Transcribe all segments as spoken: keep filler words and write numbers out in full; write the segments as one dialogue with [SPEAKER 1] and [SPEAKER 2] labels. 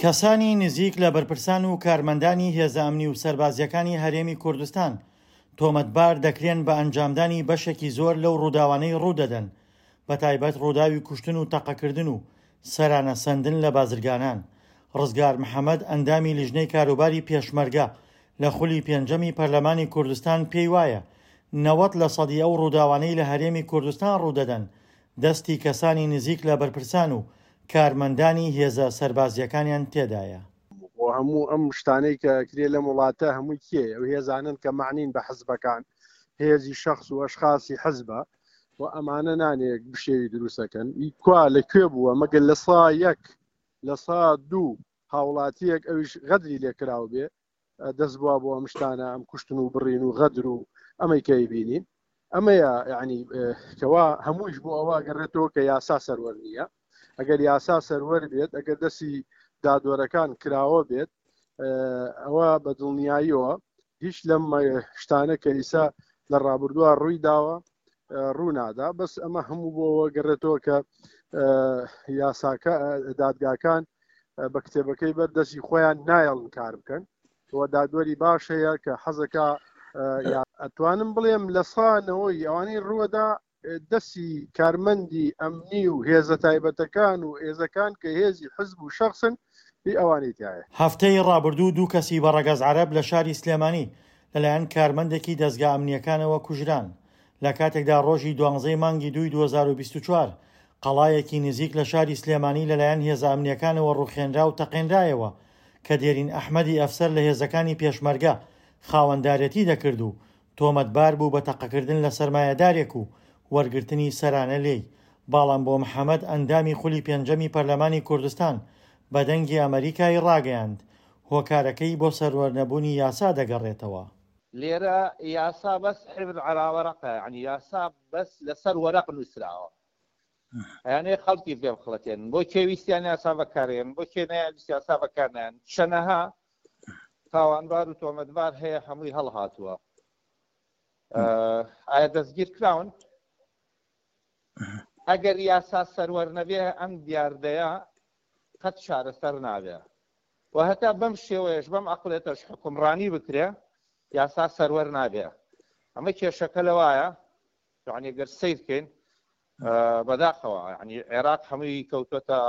[SPEAKER 1] کەسانی نزیک لە بەرپرسان و کارمەندانی هێزە ئەمنی و سەربازییەکانی هەرێمی کوردستان تۆمەتبار دەکرێن بە ئەنجامدانی بەشێکی زۆر لەو ڕووداوانەی ڕوودەدەن، بەتایبەت ڕووداوی کوشتن و تەقەکردن و سەرانە سەندن لە بازرگانان. ڕزگار محەمەد ئەندامی لیژنەی کاروباری پێشمەرگە لە خولی پێنجەمی پەرلەمانی کوردستان پێی وایە نەوەد لە سەدی ئەو ڕووداوانەی لە هەرێمی کوردستان ڕوودەدەن دەستی کەسانی نزیک لە بەرپرسان و کارمەندانی هێزە سەربازییەکانیان تێدایە.
[SPEAKER 2] و هەموو ئەم شتانەی کە کرێ لەم وڵاتە هەمووی کێ ئەو هێزانن کە معنین بە حزبەکان، هێزی شخص و ئەشخاصی حزبە و ئەمانە نانێک بشێوی دروستەکەن. کوا لە کوێ بووە؟ مەگەر لە سا یەک لە سا دوو هاوڵاتیەک ئەویش غەدری لێکراو بێ دەست بووە بۆ ئەم شتانە، ئەم کوشتن و بڕین و غەدر و ئەمەی کە بینین. ئەمەیە یعنی کەوا هەموویش بۆ ئەوە گەڕێتەوە کە یاسا سەروەر نییە. ئەگەر یاسا سەروەر بێت، ئەگەر دەستی دادوەرەکان کراوە بێت، ئەوە بە دڵنیاییەوە هیچ لەم شتانە کە ئیسا لە ڕابردووە ڕووی داوە ڕوونادا. بەس ئەمە هەموو بۆەوە گەڕێتەوە کە یاساکە دادگاکان بە کتێبەکەی بەر دەستی خۆیان نایەڵن کار بکەن. و دادوەری باش هەیە کە حەزەکە ئەتوانم بڵێم لە سانەوەی ئەوانەی ڕووەدا دەستی کارمەندی ئەمنی و هێزە تایبەتەکان و هێزەکان کە هێزی حزب و شخصن هی ئەوانەی تایە.
[SPEAKER 1] هەفتەی ڕابردوو دوو کەسی بە ڕەگەز عەرەب لە شاری سلێمانی لەلایەن کارمەندێکی دەزگا ئەمنیەکانەوە کوژران، لە کاتێکدا ڕۆژی دوانزەی مانگی دووی دوو هەزار و بیست و چوار قەڵایەکی نزیک لە شاری سلێمانی لەلایەن هێزە ئەمنیەکانەوە ڕووخێنرا و تەقێنرایەوە کە دێرین ئەحمەدی ئەفسەر لە هێزەکانی پێشمەرگە خاوەندارێتی دەکرد و تۆمەتبار بوو بە تەقەکردن لە سەرمایەدارێک و وەرگرتنی سەرانە لێی. بەڵام بۆ محەمەد ئەندامی خولی پێنجەمی پەرلەمانی کوردستان بە دەنگی ئەمریکای ڕاگەیاند هۆکارەکەی بۆ سەروەرنەبوونی یاسا دەگەڕێتەوە.
[SPEAKER 3] لێرە یاسا بەس حبر على وەرەقە، یعنی یاسا بەس لەسەر وەرەق نووسراوە، یعنی خەڵکی پێ بخڵەتێن بۆ کێ ویستیان یاسا بەکارێن، بۆ کێ نەیان یاسا بەکارنیان. چەنەها تاوانبار و تۆمەتبار هەیە هەمووی هەڵهاتووە. ئایا دەستگیر کراون؟ ئەگەر یاسا سەروەر نەبێ ئەم دیاردەیە قەت چارەسەر نابێ و هەتا بەم شێوەیەش بەم عەقڵێتەش حکومڕانی بکرێ یاسا سەروەر نابێ. ئەمە کێشەکە لەوایە، یعنی ئەگەر سەیر بکەین بەداخەوە یعنی عێراق هەمووی کەوتوەتە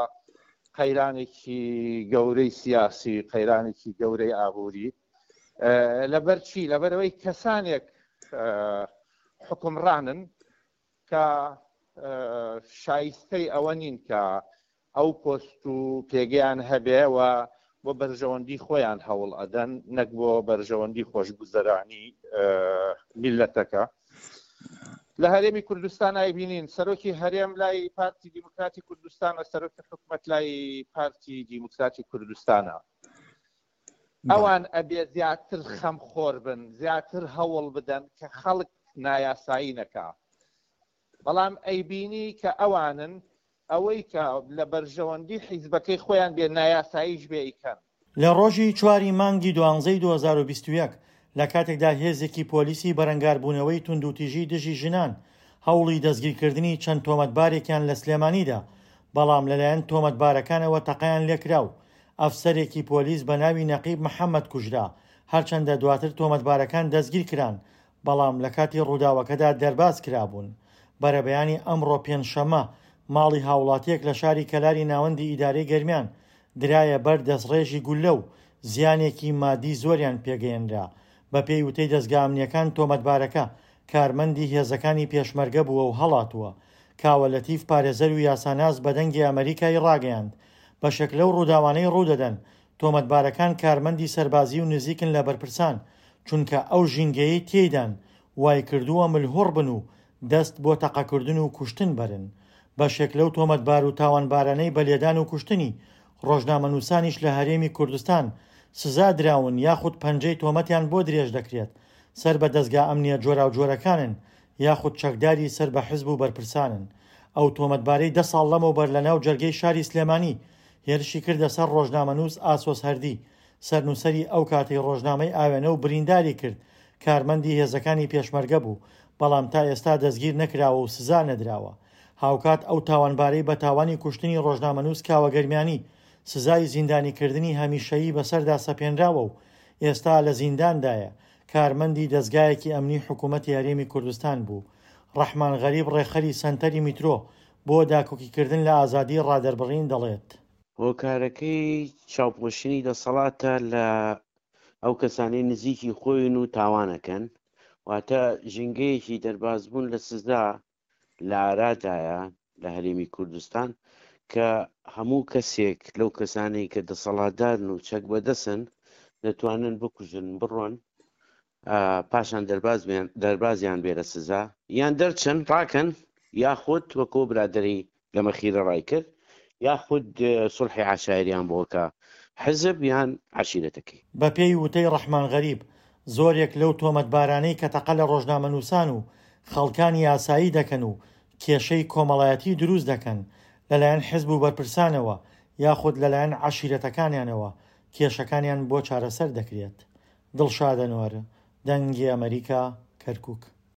[SPEAKER 3] قەیرانێکی گەورەی سیاسی، قەیرانێکی گەورەی ئابووری. لەبەر چی؟ لەبەرەوەی کەسانێک حکومڕانن کە شایستەی ئەوە نین کە ئەو پۆست و پێگەیان هەبێ و بۆ بەرژەوەندی خۆیان هەوڵ ئەدەن، نەک بۆ بەرژەوەندی خۆشگوزەرانی میلەتەکە. لە هەرێمی کوردستان ئایبینین سەرۆکی هەرێم لای پارتی دیموکراتی کوردستانە، سەرۆکی حکومەت لای پارتی دیموکراتی کوردستانە. ئەوان ئەبێ زیاتر خەمخۆر بن، زیاتر هەوڵ بدەن کە خەڵک نایاسایی نەکا. بەڵام ئەیبینی کە ئەوانن ئەوەی کە لە بەرژەوەندی حیزبەکەی خۆیان بێ نایاساییش بێ ئیکەن.
[SPEAKER 1] لە ڕۆژی چواری مانگی دوانزەی دوو هەزار و بیست و یەک لە کاتێکدا هێزێکی پۆلیسی بەرەنگاربوونەوەی توندوتیژی دژی ژنان هەوڵی دەستگیرکردنی چەند تۆمەتبارێکیان لە سلێمانیدا، بەڵام لەلایەن تۆمەتبارەکانەوە تەقەیان لێکرا و ئەفسەرێکی پۆلیس بە ناوی نەقیب محەممەد کوژرا. هەرچەندە دواتر تۆمەتبارەکان دەستگیر کران، بەڵام لە کاتی ڕووداوەکەدا دەرباز کرابوون. بەرەبەیانی ئەمڕۆ پێنجشەممە ماڵی هاوڵاتیەک لە شاری کەلاری ناوەندی ئیدارەی گەرمیان درایە بەر دەستڕێژی گولە و زیانێکی مادی زۆریان پێگەیەنرا. بە پێی وتەی دەزگا ئەمنیەکان تۆمەتبارەکە کارمەندی هێزەکانی پێشمەرگە بووە و هەڵاتووە. کاوە لەتیف پارێزەر و یاساناس بە دەنگی ئەمریکای ڕاگەیاند بەشێک لەو ڕووداوانەی ڕوودەدەن تۆمەتبارەکان کارمەندی سەربازی و نزیکن لە بەرپرسان، چونکە ئەو ژینگەیەی تێیدان وای کردووە ملهوڕ بن و دەست بۆ تەقەکردن و کوشتن بەرن. بەشێک لەو تۆمەتبار و تاوانبارانەی بە لێدان و کوشتنی ڕۆژنامەنووسانیش لە هەرێمی کوردستان سزا دراون یاخود پەنجەی تۆمەتیان بۆ درێژ دەکرێت، سەر بە دەزگا ئەمنیە جۆراوجۆرەکانن یاخود چەکداری سەر بە حزب و بەرپرسانن. ئەو تۆمەتبارەی دە ساڵ لەمەوبەر لە ناو جەرگەی شاری سلێمانی هێرشی کردە سەر ڕۆژنامەنووس ئاسۆس هەردی، سەرنووسەری ئەو کاتەی ڕۆژنامەی ئاوێنە و برینداری کرد، کارمەندی هێزەکانی پێشمەرگە بوو، بەڵام تا ئێستا دەستگیر نەکراوە و سزا نەدراوە. هاوکات ئەو تاوانبارەی بە تاوانی کوشتنی ڕۆژنامەنووس کاوە گەرمیانی سزای زیندانیکردنی هەمیشەیی بەسەردا سەپێنراوە و ئێستا لە زینداندایە، کارمەندی دەزگایەکی ئەمنی حکوومەتی هەرێمی کوردستان بوو. ڕەحمان غەریب ڕێکخەری سەنتەری میترۆ بۆ داکۆکیکردن لە ئازادیی ڕادەربڕین دەڵێت.
[SPEAKER 4] هۆکارەکەی چاوپۆشینی دەسەڵاتە لە ئەو کەسانەی نزیکی خۆین و تاوانەکەن، واتە ژینگەیەکی دەربازبوون لە سزا لە ئارادایە لە هەرێمی کوردستان کە هەموو کەسێک لەو کەسانەی کە دەسەڵاتدارن و چەک بەدەسن دەتوانن بکوژن بڕۆن پاشان دەربازیان بێ لە سزا یان دەرچن ڕاکەن یاخود وەکۆ برادری لە مەخیرە ڕای کرد یاخود سوڵحی عەشایریان بۆ کە حزب یان عەشیرەتەکەی.
[SPEAKER 1] بەپێی وتەی ڕەحمان غەریب، زۆرێک لەو تۆمەتبارانەی کە تەقە لە ڕۆژنامەنووسان و خەڵکانی ئاسایی دەکەن و کێشەی کۆمەڵایەتی دروست دەکەن، لەلایەن حزب و بەرپرسانەوە یاخود لەلایەن عەشیرەتەکانیانەوە کێشەکانیان بۆ چارەسەر دەکرێت. دڵشاد ئەنوەر، دەنگی ئەمەریکا، کەرکوک.